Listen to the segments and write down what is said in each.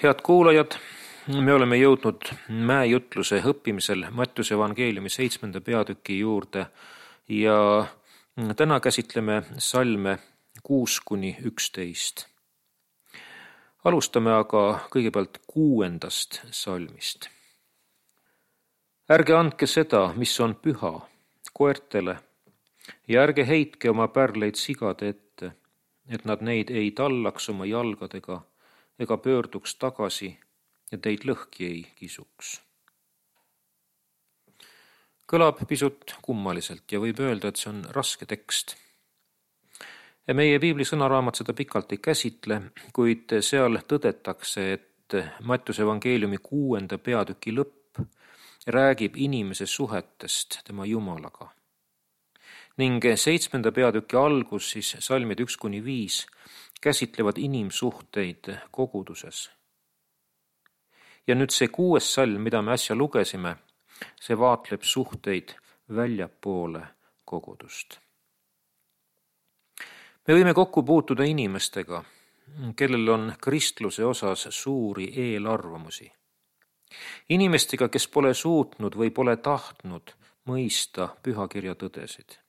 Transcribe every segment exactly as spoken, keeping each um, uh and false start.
Head kuulajad, me oleme jõudnud mäejutluse õppimisel Mattiuse evangeeliumi seitsmenda peatüki juurde ja täna käsitleme salme kuus kuni üksteist. Alustame aga kõigepealt kuuendast salmist. Ärge andke seda, mis on püha, koertele, ja ärge heitke oma pärleid sigade ette, et nad neid ei tallaks oma jalgadega ega pöörduks tagasi ja teid lõhki ei kisuks. Kõlab pisut kummaliselt ja võib öelda, et see on raske tekst. Ja meie piibli sõnaraamat seda pikalt ei käsitle, kuid seal tõdetakse, et Mattiuse evangeeliumi kuuenda peatüki lõpp räägib inimese suhetest tema Jumalaga. Ning seitsmenda peatüki algus, siis salmid üks kuni viis, käsitlevad inimsuhteid koguduses. Ja nüüd see kuues salm, mida me äsja lugesime, see vaatleb suhteid väljapoole kogudust. Me võime kokku puutuda inimestega, kellel on kristluse osas suuri eelarvamusi. Inimestega, kes pole suutnud või pole tahtnud mõista pühakirja tõdesid.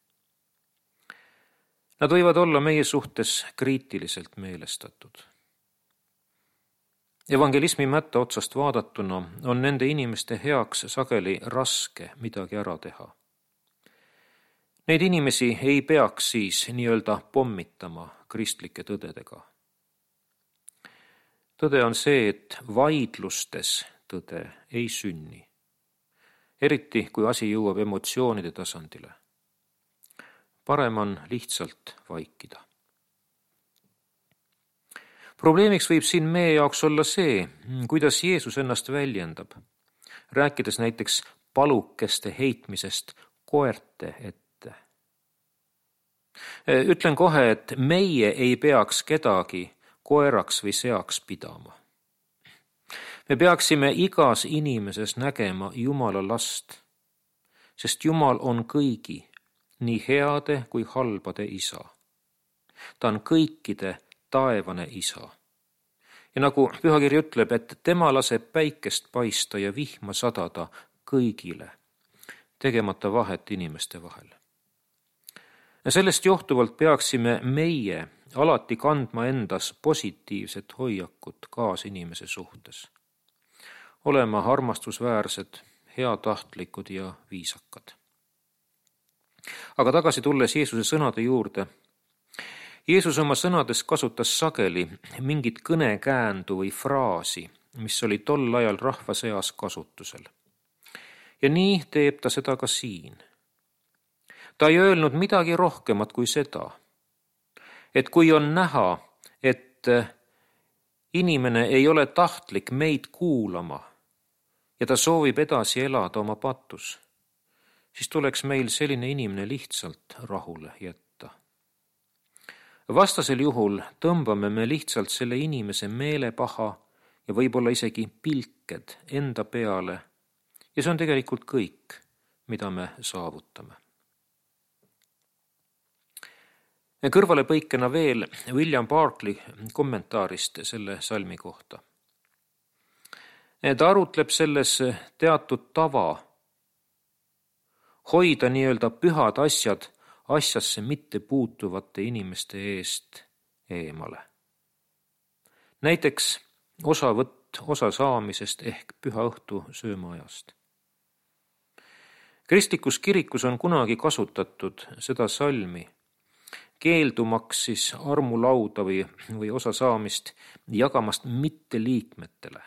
Nad võivad olla meie suhtes kriitiliselt meelestatud. Evangelismi mätta otsast vaadatuna on nende inimeste heaks sageli raske midagi ära teha. Neid inimesi ei peaks siis nii-öelda pommitama kristlike tõdedega. Tõde on see, et vaidlustes tõde ei sünni, eriti kui asi jõuab emotsioonide tasandile. Parem on lihtsalt vaikida. Probleemiks võib siin meie jaoks olla see, kuidas Jeesus ennast väljendab, rääkides näiteks palukeste heitmisest koerte ette. Ütlen kohe, et meie ei peaks kedagi koeraks või seaks pidama. Me peaksime igas inimeses nägema Jumala last, sest Jumal on kõigi, nii heade kui halbade isa. Ta on kõikide taevane isa. Ja nagu pühakiri ütleb, et tema laseb päikest paista ja vihma sadada kõigile, tegemata vahet inimeste vahel. Ja sellest johtuvalt peaksime meie alati kandma endas positiivset hoiakut kaasinimese suhtes. Olema armastusväärsed, heatahtlikud ja viisakad. Aga tagasi tulles Jeesuse sõnade juurde. Jeesus oma sõnades kasutas sageli mingit kõnekäändu või fraasi, mis oli tol ajal rahva seas kasutusel. Ja nii teeb ta seda ka siin. Ta ei öelnud midagi rohkemat kui seda, et kui on näha, et inimene ei ole tahtlik meid kuulama ja ta soovib edasi elada oma patus, siis tuleks meil selline inimene lihtsalt rahule jätta. Vastasel juhul tõmbame me lihtsalt selle inimese meelepaha ja võib-olla isegi pilked enda peale ja see on tegelikult kõik, mida me saavutame. Kõrvale põikena veel William Barclay kommentaarist selle salmi kohta. Ta arutleb selles teatud tava hoida nii-öelda pühad asjad asjasse mitte puutuvate inimeste eest eemale. Näiteks osavõtt osa saamisest ehk püha õhtu söömaajast. Kristlikus kirikus on kunagi kasutatud seda salmi, keeldumaks siis armulauda või, või osa saamist jagamast mitte liikmetele.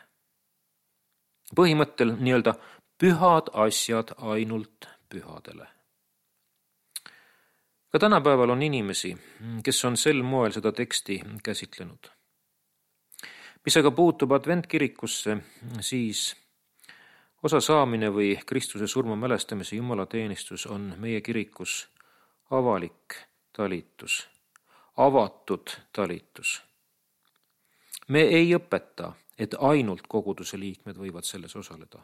Põhimõttel nii-öelda pühad asjad ainult pühadele. Ka tänapäeval on inimesi, kes on sel moel seda teksti käsitlenud. Mis aga puutub adventkirikusse, siis osa saamine või Kristuse surma mälestamise jumalateenistus on meie kirikus avalik talitus, avatud talitus. Me ei õpeta, et ainult koguduse liikmed võivad selles osaleda.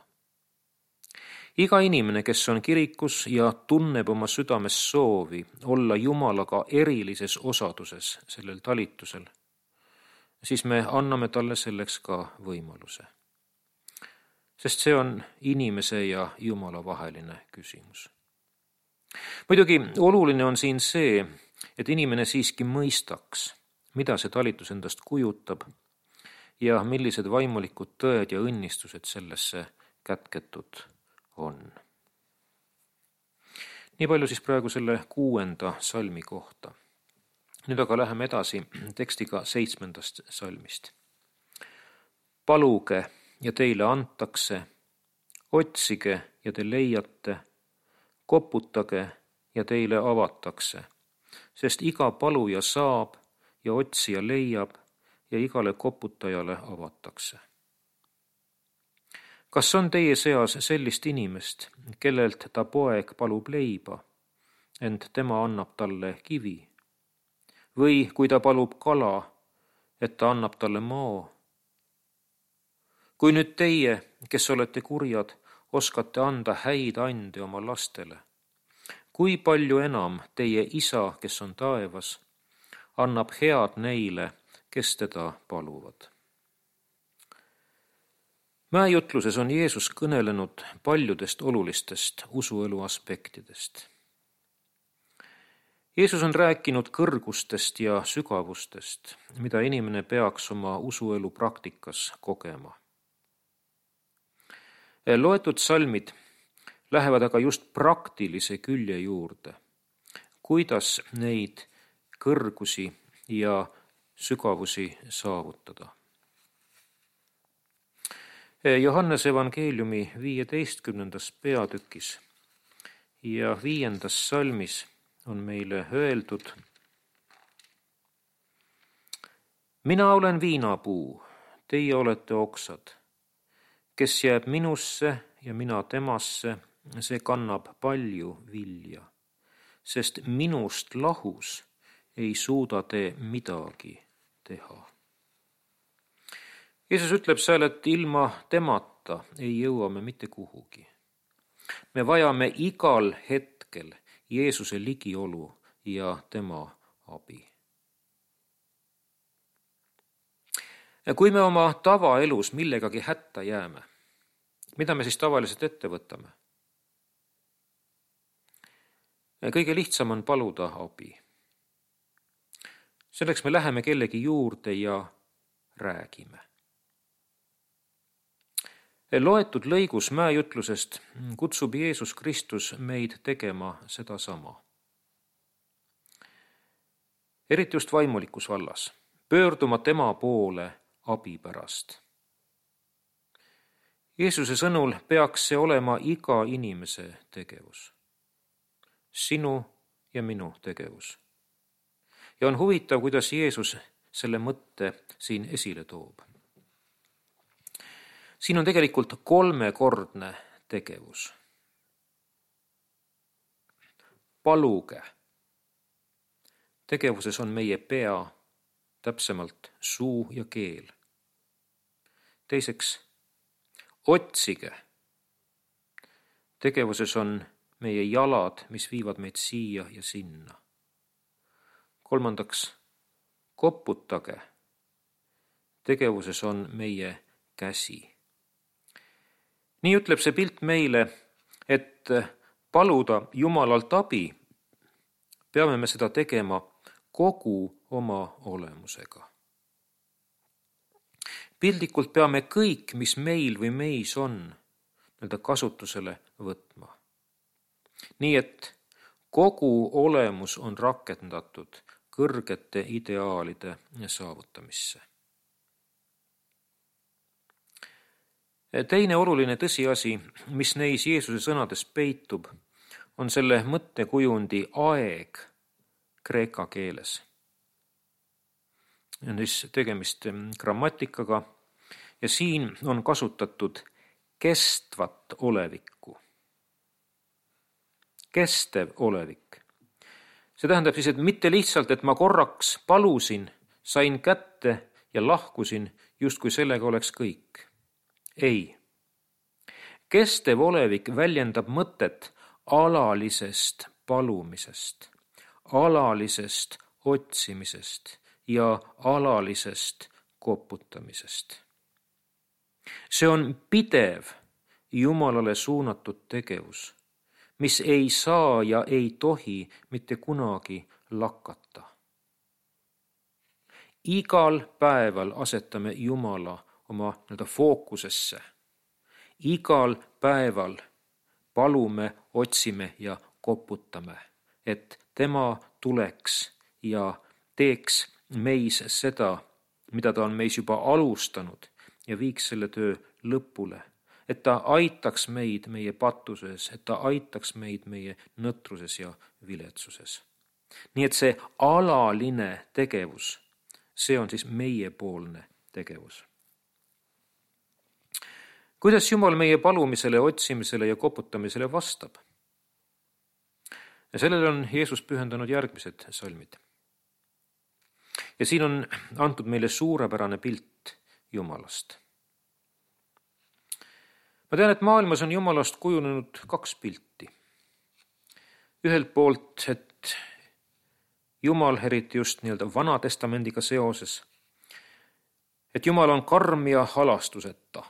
Iga inimene, kes on kirikus ja tunneb oma südames soovi olla Jumalaga erilises osaduses sellel talitusel, siis me anname talle selleks ka võimaluse. Sest see on inimese ja Jumala vaheline küsimus. Muidugi oluline on siin see, et inimene siiski mõistaks, mida see talitus endast kujutab ja millised vaimulikud tõed ja õnnistused sellesse kätketud on. Nii palju siis praegu selle kuuenda salmi kohta. Nüüd aga läheme edasi tekstiga seitsmendast salmist. Paluge ja teile antakse, otsige ja te leiate, koputage ja teile avatakse, sest iga paluja saab ja otsija leiab ja igale koputajale avatakse. Kas on teie seas sellist inimest, kellelt ta poeg palub leiba, ent tema annab talle kivi? Või kui ta palub kala, et ta annab talle mao? Kui nüüd teie, kes olete kurjad, oskate anda häid ande oma lastele, kui palju enam teie isa, kes on taevas, annab head neile, kes teda paluvad? Mäejutluses on Jeesus kõnelenud paljudest olulistest usuelu aspektidest. Jeesus on rääkinud kõrgustest ja sügavustest, mida inimene peaks oma usuelu praktikas kogema. Loetud salmid lähevad aga just praktilise külje juurde, kuidas neid kõrgusi ja sügavusi saavutada. Johannese evangeeliumi viieteistkümnendas peatükis ja viiendas salmis on meile öeldud: Mina olen viinapuu, teie olete oksad. Kes jääb minusse ja mina temasse, see kannab palju vilja, sest minust lahus ei suuda te midagi teha. Jeesus ütleb seal, et ilma temata ei jõua me mitte kuhugi. Me vajame igal hetkel Jeesuse ligiolu ja tema abi. Ja kui me oma tavaelus millegagi hätta jääme, mida me siis tavaliselt ette võtame? Kõige lihtsam on paluda abi. Selleks me läheme kellegi juurde ja räägime. Loetud lõigus mäejutlusest kutsub Jeesus Kristus meid tegema sedasama. Eriti just vaimulikus vallas, pöörduma tema poole abi pärast. Jeesuse sõnul peaks see olema iga inimese tegevus. Sinu ja minu tegevus. Ja on huvitav, kuidas Jeesus selle mõtte siin esile toob. Siin on tegelikult kolmekordne tegevus. Paluge. Tegevuses on meie pea, täpsemalt suu ja keel. Teiseks, otsige. Tegevuses on meie jalad, mis viivad meid siia ja sinna. Kolmandaks, koputage. Tegevuses on meie käsi. Nii ütleb see pilt meile, et paluda Jumalalt abi, peame me seda tegema kogu oma olemusega. Pildikult peame kõik, mis meil või meis on, nende kasutusele võtma. Nii et kogu olemus on rakendatud kõrgete ideaalide saavutamisse. Teine oluline tõsiasi, mis neis Jeesuse sõnades peitub, on selle mõttekujundi aeg kreeka keeles. On siis tegemist grammatikaga ja siin on kasutatud kestvat olevikku. Kestev olevik. See tähendab siis, et mitte lihtsalt, et ma korraks palusin, sain kätte ja lahkusin, justkui sellega oleks kõik. Ei. Kestev olevik väljendab mõtet alalisest palumisest, alalisest otsimisest ja alalisest koputamisest. See on pidev Jumalale suunatud tegevus, mis ei saa ja ei tohi mitte kunagi lakata. Igal päeval asetame Jumala oma nii-öelda fookusesse. Igal päeval palume, otsime ja koputame, et tema tuleks ja teeks meis seda, mida ta on meis juba alustanud ja viiks selle töö lõpule. Et ta aitaks meid meie pattuses, et ta aitaks meid meie nõtruses ja viletsuses. Nii et see alaline tegevus, see on siis meiepoolne tegevus. Kuidas Jumal meie palumisele, otsimisele ja koputamisele vastab? Ja sellele on Jeesus pühendanud järgmised salmid. Ja siin on antud meile suurepärane pilt Jumalast. Ma tean, et maailmas on Jumalast kujunenud kaks pilti. Ühelt poolt, et Jumal, eriti just nii-öelda Vana Testamendiga seoses, et Jumal on karm ja halastuseta.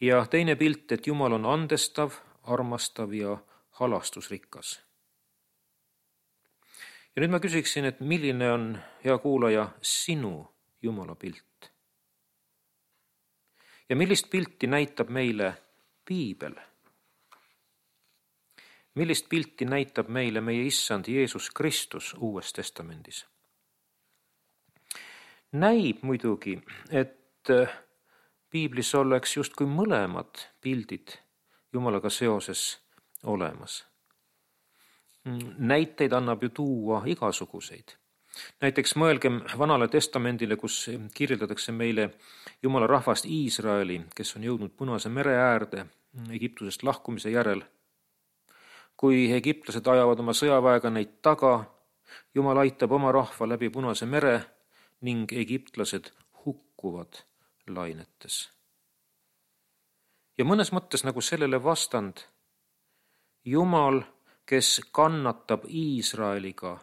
Ja teine pilt, et Jumal on andestav, armastav ja halastusrikas. Ja nüüd ma küsiksin, et milline on, hea kuulaja, sinu Jumala pilt? Ja millist pilti näitab meile Piibel? Millist pilti näitab meile meie issand Jeesus Kristus Uues Testamendis? Näib muidugi, et Piiblis oleks justkui mõlemad pildid Jumalaga seoses olemas. Näiteid annab ju tuua igasuguseid. Näiteks mõelgem Vanale Testamendile, kus kirjeldatakse meile Jumala rahvast Iisraeli, kes on jõudnud Punase mere äärde Egiptusest lahkumise järel. Kui egiptlased ajavad oma sõjaväega neid taga, Jumal aitab oma rahva läbi Punase mere ning egiptlased hukkuvad lainetes. Ja mõnes mõttes nagu sellele vastand Jumal, kes kannatab Iisraeliga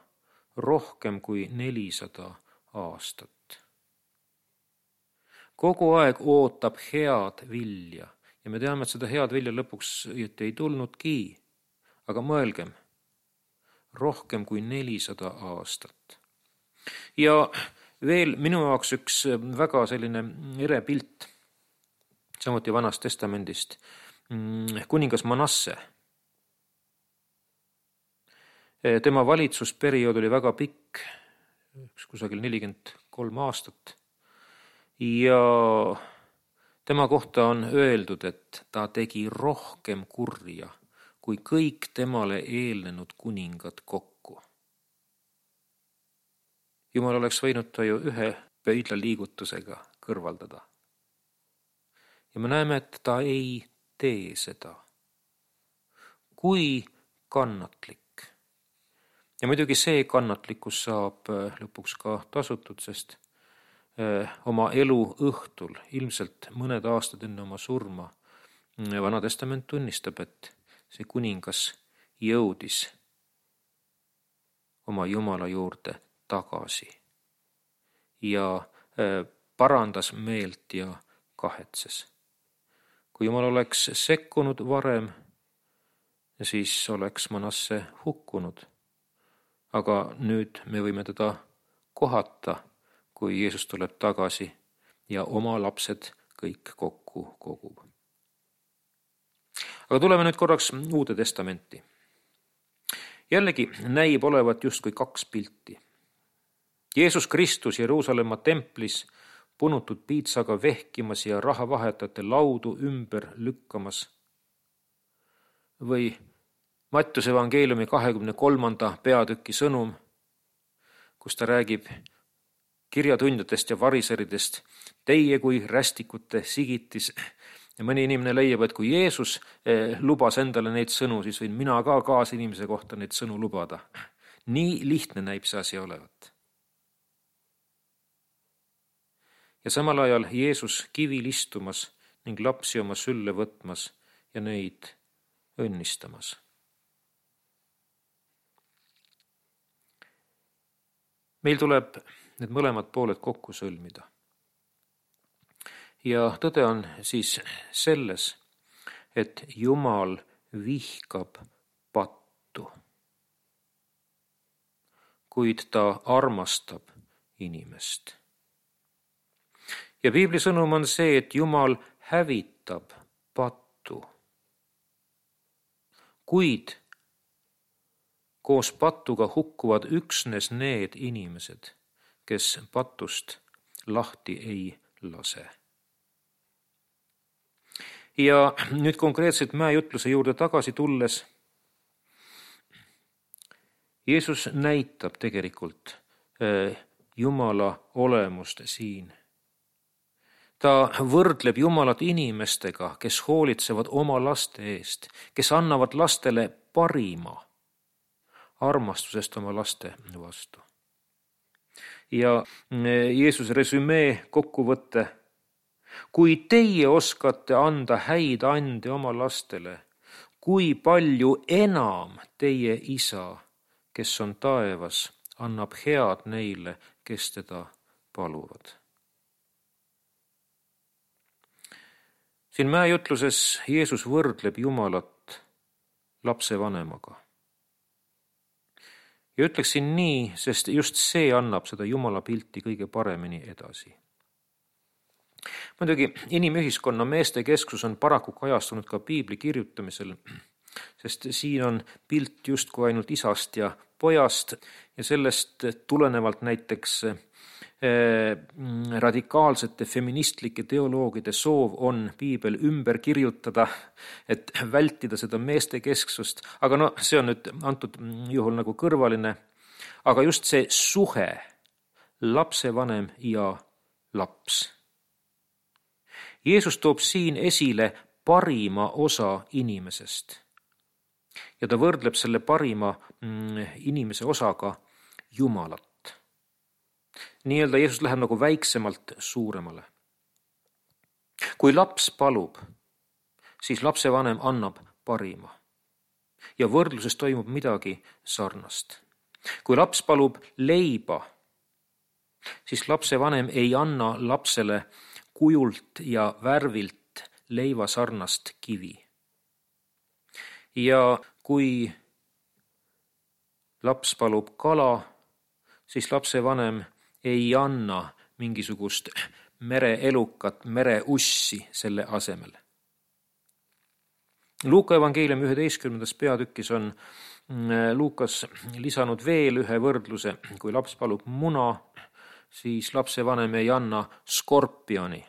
rohkem kui nelisada aastat. Kogu aeg ootab head vilja ja me teame, et seda head vilja lõpuks ei tulnudki, aga mõelgem, rohkem kui nelisada aastat. Ja veel minu jaoks üks väga selline ere pilt, samuti Vanast Testamendist, kuningas Manasse. Tema valitsusperiood oli väga pikk, kusagil nelikümmend kolm aastat. Ja tema kohta on öeldud, et ta tegi rohkem kurja kui kõik temale eelnenud kuningad kokku. Jumal oleks võinud ta ju ühe pöidla liigutusega kõrvaldada. Ja me näeme, et ta ei tee seda. Kui kannatlik. Ja muidugi see kannatlikkus saab lõpuks ka tasutud, sest oma elu õhtul, ilmselt mõned aastad enne oma surma, Vana Testament tunnistab, et see kuningas jõudis oma Jumala juurde tagasi ja parandas meelt ja kahetses. Kui Jumal oleks sekkunud varem, siis oleks Manasse hukkunud. Aga nüüd me võime teda kohata, kui Jeesus tuleb tagasi ja oma lapsed kõik kokku kogub. Aga tuleme nüüd korraks Uude Testamenti. Jällegi näib olevat justkui kaks pilti. Jeesus Kristus Jeruusalemma templis punutud piitsaga vehkimas ja rahavahetajate laudu ümber lükkamas või Mattiuse evangeeliumi kahekümne kolmanda peatüki sõnum, kus ta räägib kirjatundjatest ja variseridest, teie kui rästikute sigitis. Ja mõni inimene leiab, et kui Jeesus lubas endale neid sõnu, siis võin mina ka kaasinimese kohta neid sõnu lubada. Nii lihtne näib see asi olevat. Ja samal ajal Jeesus kivil istumas ning lapsi oma sülle võtmas ja neid õnnistamas. Meil tuleb need mõlemad pooled kokku sõlmida. Ja tõde on siis selles, et Jumal vihkab pattu, kuid ta armastab inimest. Ja piibli sõnum on see, et Jumal hävitab pattu, kuid koos pattuga hukkuvad üksnes need inimesed, kes patust lahti ei lase. Ja nüüd konkreetselt mäejutluse juurde tagasi tulles, Jeesus näitab tegelikult Jumala olemust siin. Ta võrdleb Jumalat inimestega, kes hoolitsevad oma laste eest, kes annavad lastele parima armastusest oma laste vastu. Ja Jeesuse resümee kokkuvõte: kui teie oskate anda häid ande oma lastele, kui palju enam teie isa, kes on taevas, annab head neile, kes teda paluvad. Siin mäejutluses Jeesus võrdleb Jumalat lapsevanemaga. Ja ütleksin nii, sest just see annab seda Jumala pilti kõige paremini edasi. Muidugi inimühiskonna meeste kesksus on paraku kajastunud ka piibli kirjutamisel, sest siin on pilt justkui ainult isast ja pojast ja sellest tulenevalt näiteks radikaalsete feministlike teoloogide soov on piibel ümber kirjutada, et vältida seda meeste kesksust, aga no see on nüüd antud juhul nagu kõrvaline, aga just see suhe lapsevanem ja laps. Jeesus toob siin esile parima osa inimesest ja ta võrdleb selle parima inimese osaga Jumalat. Nii-öelda Jeesus läheb nagu väiksemalt suuremale. Kui laps palub, siis lapsevanem annab parima ja võrdluses toimub midagi sarnast. Kui laps palub leiba, siis lapsevanem ei anna lapsele kujult ja värvilt leiva sarnast kivi. Ja kui laps palub kala, siis lapsevanem ei anna mingisugust mereelukat, mereussi selle asemel. Luuka evangeeliumi üheteistkümnendas peatükis on Luukas lisanud veel ühe võrdluse. Kui laps palub muna, siis lapsevanem ei anna skorpioni.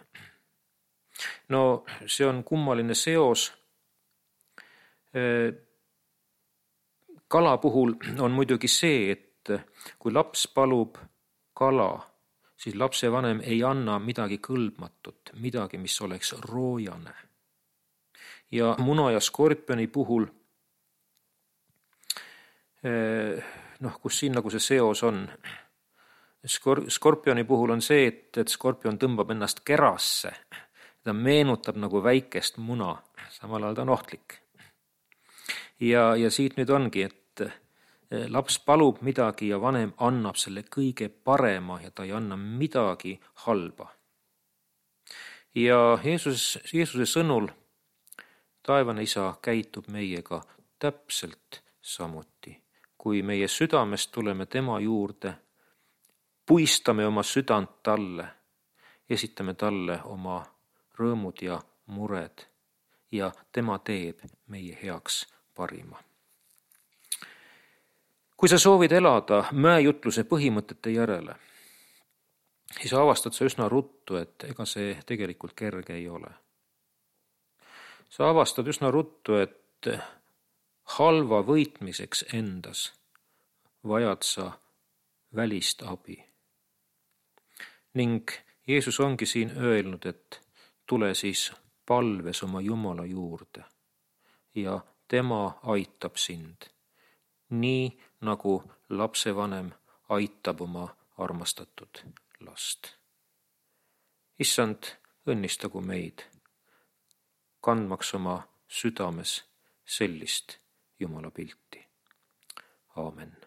No see on kummaline seos. Kala puhul on muidugi see, et kui laps palub kala, siis lapsevanem ei anna midagi kõlbmatut, midagi, mis oleks roojane. Ja muna ja skorpioni puhul, noh, kus siin nagu see seos on, Skor- skorpioni puhul on see, et, et skorpion tõmbab ennast kerasse, ta meenutab nagu väikest muna, samal ajal ta on ohtlik. Ja, ja siit nüüd ongi, et laps palub midagi ja vanem annab selle kõige parema ja ta ei anna midagi halba. Ja Jeesus, Jeesuse sõnul taevane isa käitub meiega täpselt samuti. Kui meie südamest tuleme tema juurde, puistame oma südant talle, esitame talle oma rõõmud ja mured ja tema teeb meie heaks parima. Kui sa soovid elada mäejutluse põhimõtete järele, siis avastad sa üsna ruttu, et ega see tegelikult kerge ei ole. Sa avastad üsna ruttu, et halva võitmiseks endas vajad sa välist abi. Ning Jeesus ongi siin öelnud, et tule siis palves oma Jumala juurde ja tema aitab sind. Nii nagu lapsevanem aitab oma armastatud last. Issand, õnnistagu meid, kandmaks oma südames sellist Jumala pilti. Aamen.